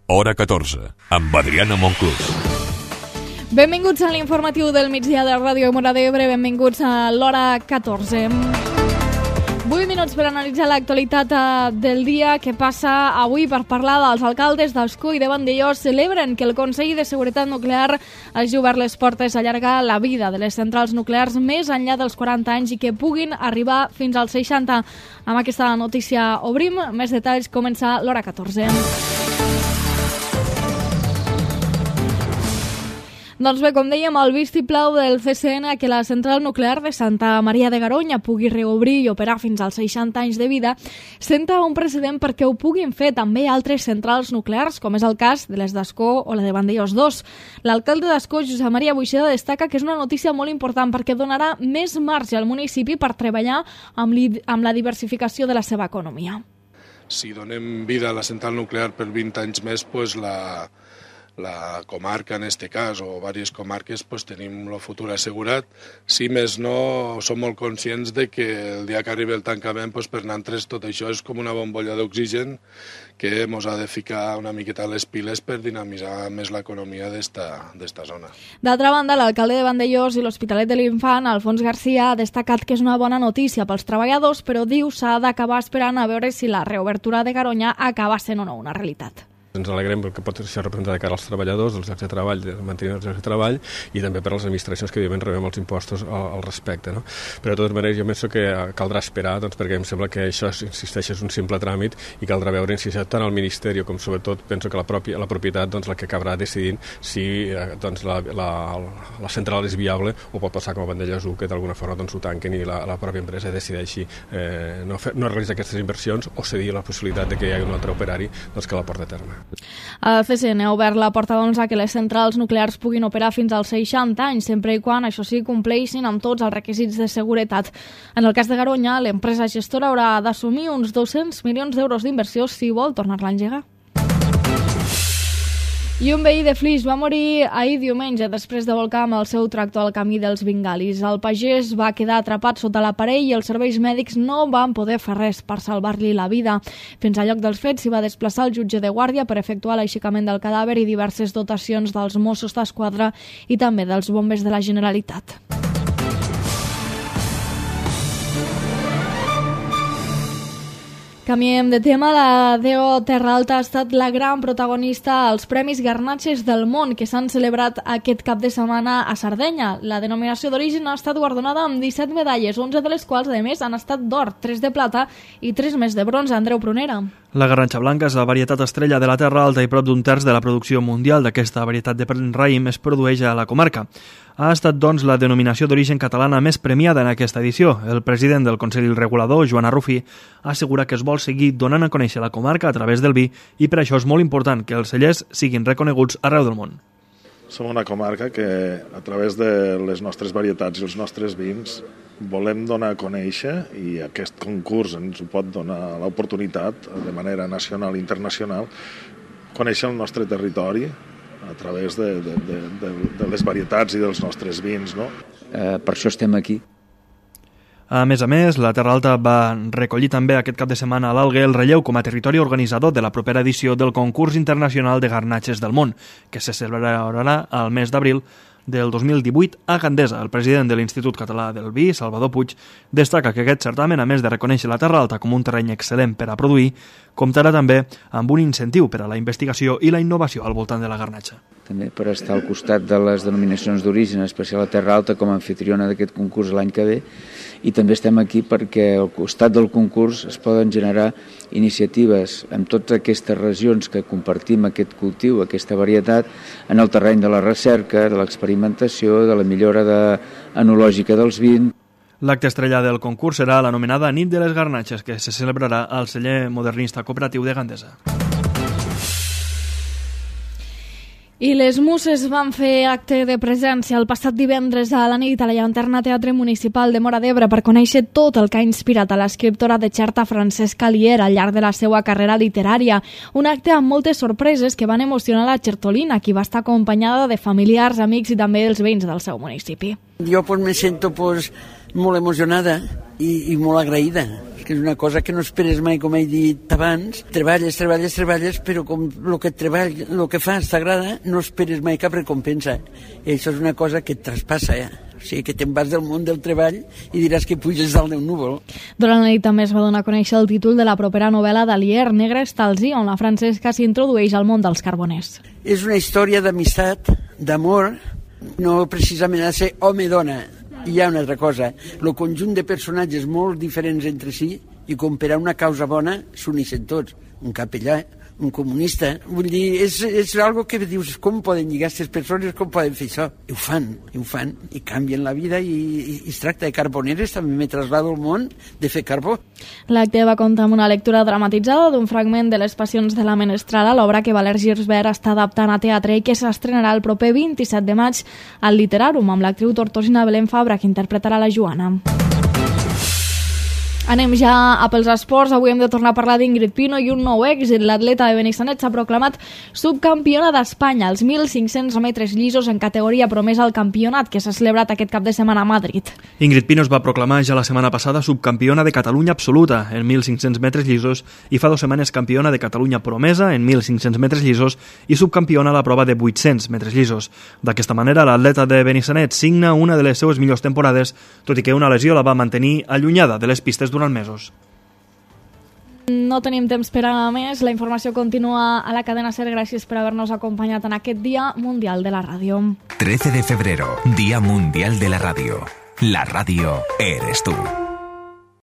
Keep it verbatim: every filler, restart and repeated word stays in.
Hora catorze, amb Adriana Monclús. Benvinguts a l'informatiu del migdia de Ràdio Móra d'Ebre, benvinguts a l'Hora catorze. vuit minuts per analitzar l'actualitat del dia que passa avui per parlar dels alcaldes d'Ascó i de Vandellòs. Celebren que el Consell de Seguretat Nuclear hagi obert les portes a allargar la vida de les centrals nuclears més enllà dels quaranta anys i que puguin arribar fins als seixanta. Amb aquesta notícia obrim més detalls. Comença l'Hora catorze. Doncs bé, com dèiem, el vistiplau del C C N que la central nuclear de Santa Maria de Garoña pugui reobrir i operar fins als seixanta anys de vida senta un precedent perquè ho puguin fer també altres centrals nuclears, com és el cas de les d'Ascó o la de Vandellòs dos. L'alcalde d'Ascó, Josep Maria Buixeda, destaca que és una notícia molt important perquè donarà més marge al municipi per treballar amb, li, amb la diversificació de la seva economia. Si donem vida a la central nuclear per vint anys més, doncs la... la comarca en este cas o diverses comarques pues, tenim el futur assegurat. Si més no, som molt conscients de que el dia que arribi el tancament pues, per nosaltres tot això és com una bombolla d'oxigen que ens ha de ficar una miqueta a les piles per dinamitzar més l'economia d'esta zona. D'altra banda, l'alcalde de Vandellòs i l'Hospitalet de l'Infant, Alfons Garcia, ha destacat que és una bona notícia pels treballadors, però diu s'ha d'acabar esperant a veure si la reobertura de Garoña acaba sent o no una realitat. Ens alegrem perquè pot això representar de cara als treballadors, dels llocs de treball, de mantenir els llocs de treball i també per a les administracions que evidentment rebem els impostos al, al respecte. No? Però de totes maneres jo penso que caldrà esperar doncs, perquè em sembla que això, insisteix, és un simple tràmit i caldrà veure si tant el Ministeri com sobretot penso que la, pròpia, la propietat doncs, la que acabarà decidint si doncs, la, la, la central és viable o pot passar com a Vandellòs u que d'alguna forma doncs, ho tanquen i la, la pròpia empresa decideixi eh, no, fer, no realitzar aquestes inversions o cedir la possibilitat de que hi hagi un altre operari doncs, que la porti a terme. El C C N ha obert la porta doncs, a que les centrals nuclears puguin operar fins als seixanta anys, sempre i quan, això sí, compleixin amb tots els requisits de seguretat. En el cas de Garoña, l'empresa gestora haurà d'assumir uns dos-cents milions d'euros d'inversió si vol tornar-la a engegar. I un veí de Flix va morir ahir diumenge després de volcar amb el seu tractor al camí dels Vingalis. El pagès va quedar atrapat sota l'aparell i els serveis mèdics no van poder fer res per salvar-li la vida. Fins al lloc dels fets s'hi va desplaçar el jutge de guàrdia per efectuar l'aixecament del cadàver i diverses dotacions dels Mossos d'Esquadra i també dels bombers de la Generalitat. Canviem de tema. La D O Terra Alta ha estat la gran protagonista als Premis Garnatxes del Món que s'han celebrat aquest cap de setmana a Sardenya. La denominació d'origen ha estat guardonada amb disset medalles, onze de les quals, a més, han estat d'or, tres de plata i tres més de bronze. Andreu Prunera. La garnatxa blanca és la varietat estrella de la Terra Alta i prop d'un terç de la producció mundial d'aquesta varietat de raïm es produeix a la comarca. Ha estat, doncs, la denominació d'origen catalana més premiada en aquesta edició. El president del Consell Regulador, Joan Arrufí, assegura que es vol seguir donant a conèixer la comarca a través del vi i per això és molt important que els cellers siguin reconeguts arreu del món. Som una comarca que, a través de les nostres varietats i els nostres vins, volem donar a conèixer, i aquest concurs ens ho pot donar l'oportunitat de manera nacional i internacional, conèixer el nostre territori a través de, de, de, de, de les varietats i dels nostres vins. No? Eh, per això estem aquí. A més a més, la Terra Alta va recollir també aquest cap de setmana a l'Alguer el relleu com a territori organitzador de la propera edició del Concurs Internacional de Garnatxes del Món, que se celebrarà al mes d'abril del dos mil divuit a Gandesa. El president de l'Institut Català del Vi, Salvador Puig, destaca que aquest certamen, a més de reconèixer la Terra Alta com un terreny excel·lent per a produir, comptarà també amb un incentiu per a la investigació i la innovació al voltant de la garnatxa. També per estar al costat de les denominacions d'origen, en especial la Terra Alta com a anfitriona d'aquest concurs l'any que ve, i també estem aquí perquè al costat del concurs es poden generar iniciatives en totes aquestes regions que compartim aquest cultiu, aquesta varietat, en el terreny de la recerca, de l'experimentació, de la millora de, enològica dels vins. L'acte estrella del concurs serà l'anomenada Nit de les Garnatxes, que se celebrarà al celler modernista cooperatiu de Gandesa. I les Muses van fer acte de presència el passat divendres a la nit a la Llanterna Teatre Municipal de Móra d'Ebre per conèixer tot el que ha inspirat a l'escriptora de xerta Francesca Alier al llarg de la seva carrera literària. Un acte amb moltes sorpreses que van emocionar la xertolina, qui va estar acompanyada de familiars, amics i també dels veïns del seu municipi. Jo pues, me sento pues, molt emocionada i, i molt agraïda, que és una cosa que no esperes mai, com he dit abans. Treballes, treballes, treballes, però com el que treball, el que fas t'agrada, no esperes mai cap recompensa. I això és una cosa que et traspassa, eh? O sigui, que te'n vas del món del treball i diràs que puges dalt d'un núvol. Durant la nit també es va donar a conèixer el títol de la propera novel·la d'Alier, Negre Estalzi, on la Francesca s'introdueix al món dels carboners. És una història d'amistat, d'amor, no precisament ha de ser home-dona. Hi ha una altra cosa, el conjunt de personatges molt diferents entre si i com per a una causa bona s'uneixen tots, un capellà, un comunista, vull dir, és, és algo que dius, com poden lligar aquestes persones, com poden fer això? I ho fan, i ho fan, i canvien la vida i, i, i es tracta de carboneres, també me traslado al món de fer carbó. L'acte va comptar amb una lectura dramatitzada d'un fragment de Les passions de la menestrala, l'obra que Valer Girsbert està adaptant a teatre i que s'estrenarà el proper vint-i-set de maig al Literàrum, amb l'actriu tortosina Belén Fabra, que interpretarà la Joana. Anem ja a pels esports. Avui hem de tornar a parlar d'Ingrid Pino i un nou èxit. L'atleta de Benissanet s'ha proclamat subcampiona d'Espanya als mil cinc-cents metres llisos en categoria promesa al campionat que s'ha celebrat aquest cap de setmana a Madrid. Ingrid Pino es va proclamar ja la setmana passada subcampiona de Catalunya absoluta en mil cinc-cents metres llisos i fa dues setmanes campiona de Catalunya promesa en mil cinc-cents metres llisos i subcampiona a la prova de vuit-cents metres llisos. D'aquesta manera, l'atleta de Benissanet signa una de les seues millors temporades, tot i que una lesió la va mantenir allunyada de les pistes durant mesos. No tenim temps per a més. La informació continua a la cadena SER. Gràcies per haver-nos acompanyat en aquest Dia Mundial de la Ràdio. trece de febrero, Día Mundial de la Radio. La radio eres tú.